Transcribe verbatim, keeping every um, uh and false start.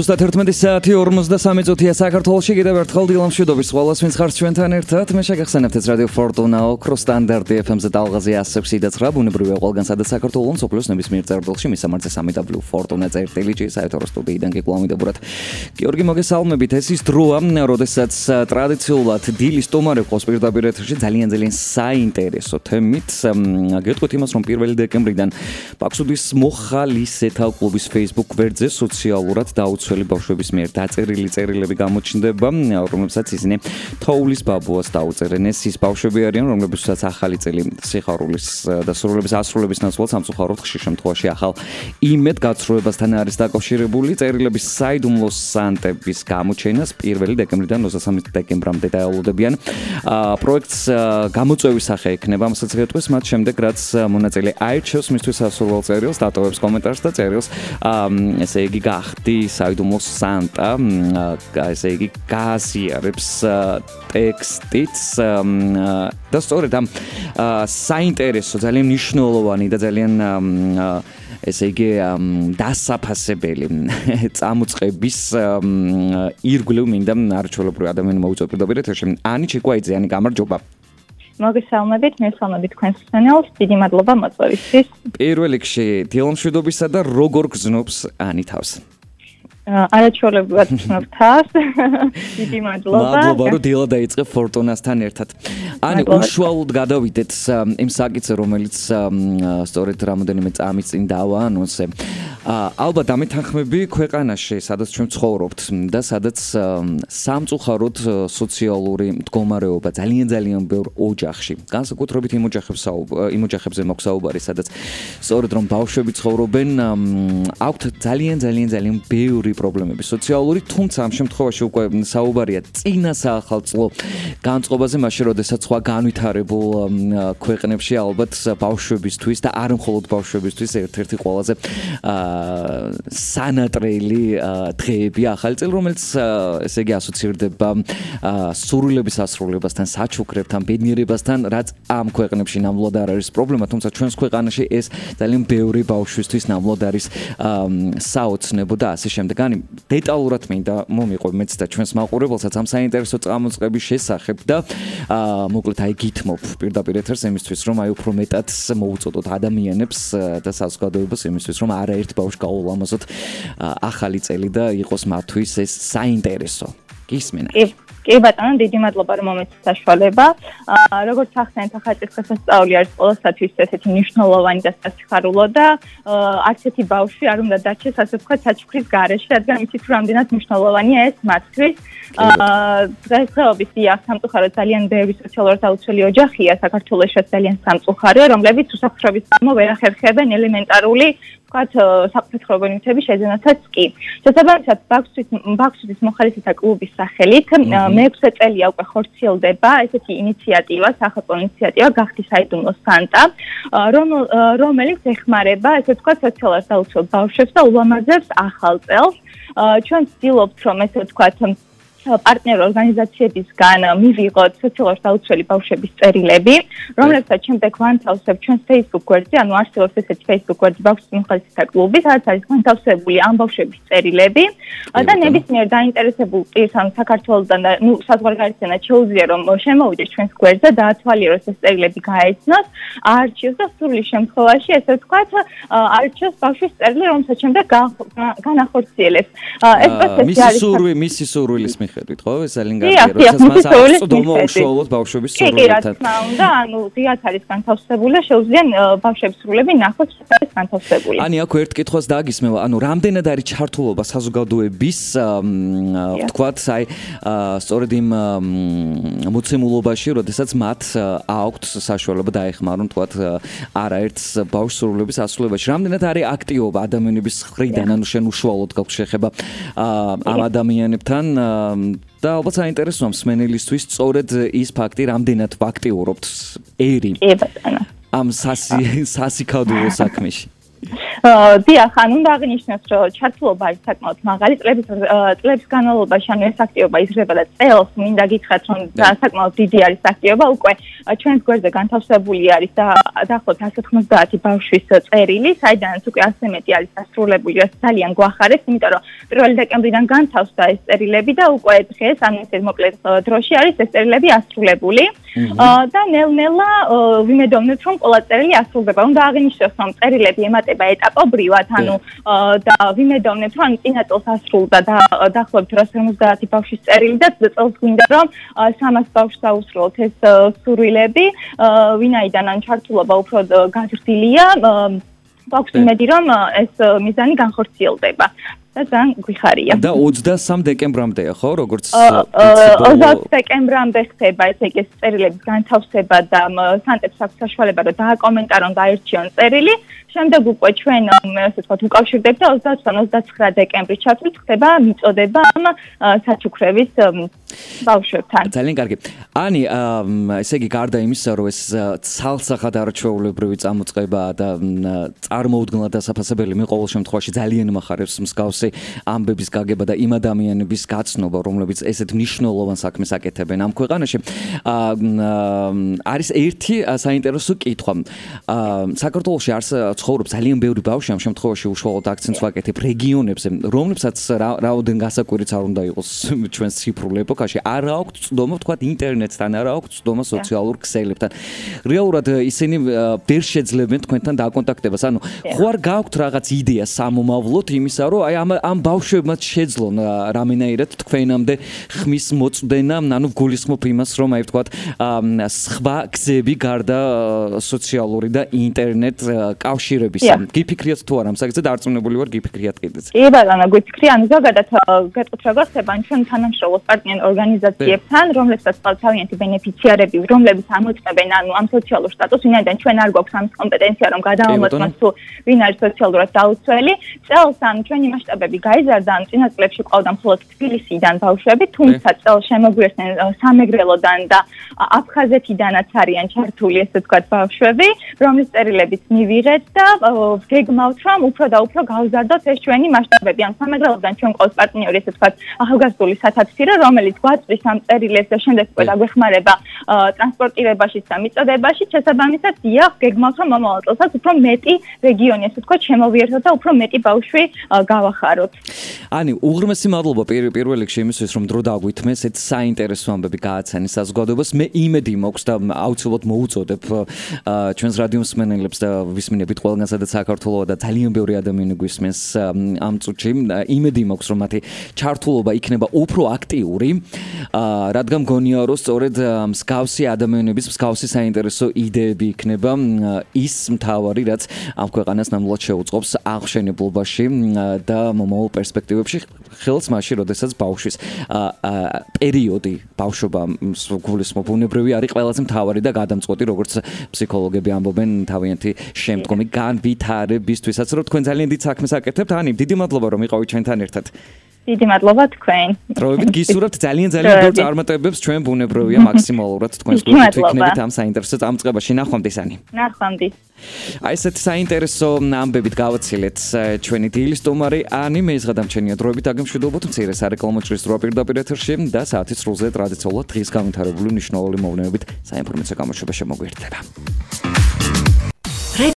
Ზუსტად ერთმეტი საათი ორმოცდასამი წუთია საქართველოში. კიდევ ერთხელ დილამშვიდობის ყველას, ვინც ხართ ჩვენთან ერთად. მე შეგახსენებთ ეს რადიო ფორტუნა ოქროს სტანდარტი ეფ ემ-ზე ტალღაზე one oh seven point nine ბუნებრივია ყველგან სადაც საქართველოს სოფლის ნებისმიერ წერტილში მისამართზე three w ფორტუნა წერტილი საერთო სტუდიიდან გიკლავმიდებურად. გიორგი მოგესალმებით. ეს ის დროა, როდესაც ტრადიციულად დილის სტუმარი ყავს პირდაპირ ეთერში ძალიან ძალიან საინტერესო თემით. გეტყვით იმას, რომ პირველი დეკემბრიდან ბაქსუდის მოხალისეთა კლუბის Facebook გვერდზე სოციალურად დაუცველი ბავშვების მიერ დაწერილი წერილები გამოჩნდება, რომლებსაც ისინი თოვლის ბაბუას დაუწერენ. ეს ის ბავშვები არიან, რომლებსაც ახალი წელი სიხარულის და სრულების ასრულების ნაცვლად სამწუხაროდ ხშირ შემთხვევაში ახალ იმედ გაცრუებასთან არის დაკავშირებული. წერილების საიდუმლო სანტების გამოჩენას პირველი დეკემბრიდან ოცდასამი დეკემბრამდე დაელოდებიან. პროექტს გამოწვევის სახე ექნება, ამასაც გეტყვის მათ შემდეგ, რაც მონაწილე აირჩევს მისთვის სასურველ წერილს, დატოვებს კომენტარს და წერილს ესე იგი გახდი საიდუმლო სანტა, ესე იგი გააზიარებს ტექსტიც და სწორედ ამ საინტერესო, ძალიან მნიშვნელოვანი და ძალიან ესე იგი დასაფასებელი წამოწყების ირგვლივ მინდა არჩეულებრივი ადამიანი მოუწვა პირდაპირ ეთერში. ანი ჩიკვაიძე, ანი, გამარჯობა. მოგესალმებით, მესალმებით თქვენს მსმენელს. დიდი მადლობა მოწვევისთვის. პირველ რიგში დილამშვიდობისა და როგორ გრძნობს ანი თავს? არაჩვეულებრივად გრძნობ თავს. დიდი მადლობა. მადლობა, რომ დილა დაიწყე ფორტუნასთან ერთად. ანი, უშუალოდ გადავიდეთ იმ საკითხზე, რომელიც სწორედ რამოდენიმე წამის წინ დავაანონსე. ალბათ ამეთანხმები ქვეყანაში, სადაც ჩვენ ცხოვრობთ და სადაც სამწუხაროდ სოციალური მდგომარეობა ძალიან ძალიან ბევრ ოჯახში, განსაკუთრებით იმ ოჯახებს იმ ოჯახებზე მოგსაუბარი, სადაც სწორედ რომ ბავშვები ცხოვრობენ, აქვთ ძალიან ძალიან ძალიან ბევრი პრობლემები სოციალური, თუმცა ამ შემთხვევაში უკვე საუბარია წინა საახალწლო განწყობაზე, მაშინ როდესაც სხვა განვითარებულ ქვეყნებში ალბათ ბავშვებისთვის და არ მხოლოდ ბავშვებისთვის ერთ-ერთი ყველაზე სანატრელი დღეები ახალი წელი, რომელიც ესე იგი ასოცირდება სურვილების ასრულებასთან, საჩუქრებთან, ბედნიერებასთან, რაც ამ ქვეყნებში ნამდვილად არ არის პრობლემა, თუმცა ჩვენს ქვეყანაში ეს ძალიან ბევრი ბავშვისთვის ნამდვილად არის საოცნებო და ასე შემდეგ. ანი, დეტალურად მინდა მომიყვე მეც და ჩვენს მაყურებელსაც ამ საინტერესო წამოწყების შესახებ და მოკლედ აი გითმობ პირდაპირ ეთერს იმისთვის, რომ აი უფრო მეტად მოუწოდოთ ადამიანებს და საზოგადოებას იმისთვის, რომ არაერთ ბავშვს გაულამაზოთ ახალი წელი და იყოს მათთვის ეს საინტერესო. გისმენთ? კი ბატონო, დიდი მადლობა რომ მომეცით საშუალება. როგორც ახსენეთ, ახალი დღესასწაული არის ყველასათვის ესეთი მნიშვნელოვანი და სასიხარულო და არც ერთი ბავშვი არ უნდა დარჩეს, ასე ვთქვათ, საჩუქრის გარეშე, რადგან იცით რომ რამდენად მნიშვნელოვანია ეს მათთვის. დღესდღეობით დიახ, სამწუხაროდ ძალიან ბევრი სოციალურად დაუცველი ოჯახია საქართველოშიც ძალიან სამწუხაროა, რომლებიც უსაფრთხოების გამო ვერ ახერხებენ ელემენტარული ვთქვათ, საფრთხეობრივი ნივთების შეძენასაც კი. შესაბამისად, ბაქსუდის მოხალისეთა კლუბის სახელით მეექვსე წელია უკვე ხორციელდება ესეთი ინიციატივა, სახელმწიფო ინიციატივა გახდი საიდუმლო სანტა, რომელიც ეხმარება, ესე ვთქვათ, სოციალურად დაუცველ ბავშვებს და ულამაზებს ახალ წელს. ჩვენ ვცდილობთ, რომ ესე ვთქვათ, პარტნიორ ორგანიზაციებისგან მივიღოთ სოციალურად დაუცველი ბავშვების წერილები, რომლებსაც შემდეგ ვანთავსებ ჩვენს Facebook გვერდზე, ანუ არსებობს ესეთი Facebook გვერდი ბაქსუდის მოხალისეთა კლუბი, სადაც არის განთავსებული ამ ბავშვების წერილები და ნებისმიერ დაინტერესებულ პირს, ანუ საქართველოსდან და ნუ საზღვარგარეთიდან შეუძლია რომ შემოვიდეს ჩვენს გვერდზე და ათვალიეროს ეს წერილები გაეცნოს, აარჩიოს და სრული შემთხვევაში, ესე ვთქვათ, აარჩიოს ბავშვის წერილი, რომელსაც შემდეგ განახორციელებს. ეს პროცესი არის მისი სურვილის ხედვით, ხო? ეს ძალიან კარგია, როდესაც მას აღწოდომა უშუალოდ ბავშვების სურვილებთან. კი, რა თქმა უნდა, ანუ ზიად არის განთავსებული და შეუძლია ბავშვების სურვილები ნახოს, არის განთავსებული. ანი, აქ ერთ კითხვას დაგისმევა, ანუ რამდენად არის ჩართულობა საზოგადოების, ვთქვათ, აი, სწორედ იმ მოცემულობაში, როდესაც მათ აქვთ საშუალება დაეხმარონ, ვთქვათ, არაერთ ბავშვს სურვილების ასრულებაში. რამდენად არის აქტივობა ადამიანების მხრიდან, ანუ შენ უშუალოდ გაქვს შეხება ამ ადამიანებთან და ალბათ საინტერესოა მსმენელისთვის სწორედ ის ფაქტი, რამდენად ვაქტიურობთ ერი კი ბატონო ამ სასიკადულო საქმეში. დიახ, ანუ უნდა აღინიშნოს, რომ ჩართულობა არის საკმაოდ მაღალი, წლების წლების განმავლობაში, ანუ ეს აქტივობა იზრდება და წელს მინდა გითხრათ, რომ საკმაოდ დიდი არის აქტივობა, უკვე ჩვენს გვერდზე განთავსებული არის და დაახლოებით εκατს ოცდაათი ბავშვის წერილი, საიდანაც უკვე ასზე მეტი არის დასრულებული, რაც ძალიან გვახარებს, იმიტომ რომ პირველი დეკემბრიდან განთავსდა ეს წერილები და უკვე დღეს, ანუ ეს მოკლე დროში არის ეს წერილები ასრულებული. და ნელ-ნელა ვიმედოვნებთ, რომ ყველა წერილი ასრულდება. უნდა აღინიშნოს, რომ წერილები ემატება ეტაპობრივად, ანუ და ვიმედოვნებთ, რომ წინა წელს ასრულდა და დაახლოებით რას ორმოცდაათი ბავშვის წერილი და წელს გვინდა, რომ სამას ბავშვს აუსრულოთ ეს სურვილები, ვინაიდან ან ჩართულობა უფრო გაზრდილია, გვაქვს იმედი, რომ ეს მიზანი განხორციელდება. და ძალიან გვიხარია. და ოცდასამ დეკემბრამდეა, ხო, როგორც ოცდაათი დეკემბრამდე ხდება ესე იგი წერილების განთავსება და სანტებს აქვს საშუალება რომ დააკომენტარონ და აირჩიონ წერილი. შემდეგ უკვე ჩვენ ასე ვთქვათ უკავშირდებთ და ოცდაათიდან ოცდაცხრა დეკემბრის ჩათვლით ხდება მიწოდება საჩუქრების ბავშვებთან. ძალიან კარგი. ანი, ესე იგი გარდა იმისა, რომ ეს ცალსახად არჩეულებრივი წამოწყება და წარმოუდგენლად დასაფასებელი მე ყოველ შემთხვევაში ძალიან მახარებს მსგავსი ამბების გაგება და იმ ადამიანების გაცნობა, რომლებიც ესეთ მნიშვნელოვან საქმეს აკეთებენ ამ ქვეყანაში. არის ერთი საინტერესო კითხვა. საქართველოში არს ცხოვრობს ძალიან ბევრი ბავშვი, ამ შემთხვევაში უშუალოდ აქცენტს ვაკეთებ რეგიონებზე, რომლებსაც რაოდენ გასაკვირიც არ უნდა იყოს ჩვენს ციფრულ ეპოქაში, არ აქვს ცდომა თქვათ ინტერნეტთან, არ აქვს ცდომა სოციალურ ქსელებთან. რეალურად ისინი ვერ შეძლებენ თქვენთან დაკონტაქტებას. ანუ ხო არ გაქვთ რაღაც იდეა სამომავლოდ იმისა, რომ აი ამ ამ ბავშვებმაც შეძლონ რამენაირად თქვენამდე ხმის მოწვდენა, ანუ გულისხმობ იმას, რომ აი ვთქვათ სხვა გზები გარდა სოციალური და ინტერნეტ კავშირებისა. გიფიქრიათ თუ არა ამ საკითხზე დარწმუნებული ვარ, გიფიქრიათ კიდეც. კი ბატონო, გიფიქრია, ანუ ზოგადად გეტყვით როგორ ხდება ჩვენ თანამშრომლობთ პარტნიორ ორგანიზაციებთან, რომლებსაც ყავს თავიანთი ბენეფიციარები, რომლებიც ამოწმებენ ანუ ამ სოციალურ სტატუსს, ვინაიდან ჩვენ არ გვაქვს ამის კომპეტენცია, რომ გადავამოწმოთ თუ ვინ არის სოციალურად დაუცველი. წელს ან ჩვენი მასშტაბები გაიზარდა, ან წინა წლებში ყავდა მხოლოდ თბილისიდან ბავშვები, თუმცა წელს შემოგვიერთდნენ სამეგრელოდან და აფხაზეთიდანაც არიან ჩართული, ესე ვთქვათ, ბავშვები, რომლის წერილებიც მივიღეთ და გეგმავთ, რომ უფრო და უფრო გავზარდოთ ეს ჩვენი მასშტაბები. ან სამეგრელოდან ჩვენ ყავს პარტნიორი, ესე ვთქვათ, ახალგაზრდული სათათბირო, რომელიც გვაწვის ამ წერილებს და შემდეგ უკვე დაგვეხმარება ტრანსპორტირებაშიც და მიწოდებაშიც. შესაბამისად, დიახ, გეგმავთ, რომ მომავალ წელსაც უფრო მეტი რეგიონი, ესე ვთქვათ, შემოვიერთოთ და უფრო მეტი ბავშვი გავახაროთ. ანი, უღრმესი მადლობა პირველ რიგში იმისთვის, რომ დრო დაგვითმეს, ეს საინტერესო ამბები გააცანეს საზოგადოებას. მე იმედი მაქვს და აუცილებლად მოუწოდებ ჩვენს რადიო მსმენელებს და ვისმინებით ყველგან, სადაც საქართველოა და ძალიან ბევრი ადამიანი გვისმენს ამ წუთში. იმედი მაქვს, რომ მათი ჩართულობა იქნება უფრო აქტიური, რადგან მგონია, რომ სწორედ მსგავსი ადამიანების მსგავსი საინტერესო იდეები იქნება ის მთავარი, რაც ამ ქვეყანას ნამდვილად შეუწყობს აღშენებლობაში და მომავალ პერსპექტივებში, ხელს მაშინ, როდესაც ბავშვის პერიოდი, ბავშვობა გულისხმობ ბუნებრივი არის ყველაზე მთავარი და გადამწყვეტი, როგორც ფსიქოლოგები ამბობენ, თავიანთი შემდგომი განვითარებისთვისაც, რომ თქვენ ძალიან დიდ საქმეს აკეთებთ. ანი, დიდი მადლობა, რომ იყავით ჩვენთან ერთად. დიდი მადლობა თქვენ. დროებით გისურვებთ ძალიან ძალიან ბევრ წარმატებებს, ჩვენ ბუნებრივია მაქსიმალურად თქვენს გვერდით ვიქნებით ამ საინტერესო წამწყებაში. ნახვამდის, ანი. ნახვამდის. აი ესეთი საინტერესო ამბებით გავაცილეთ ჩვენი დილის სტუმარი ანი მეიზღადამჩენია. დროებით აგემშვიდობოთ მცირე სარეკლამო ჭრის დრო პირდაპირ ეთერში და საათის სრულზე ტრადიციულად დღის განვითარებული მნიშვნელოვანი მოვლენებით საინფორმაციო გამოშვება შემოგვიერთდება.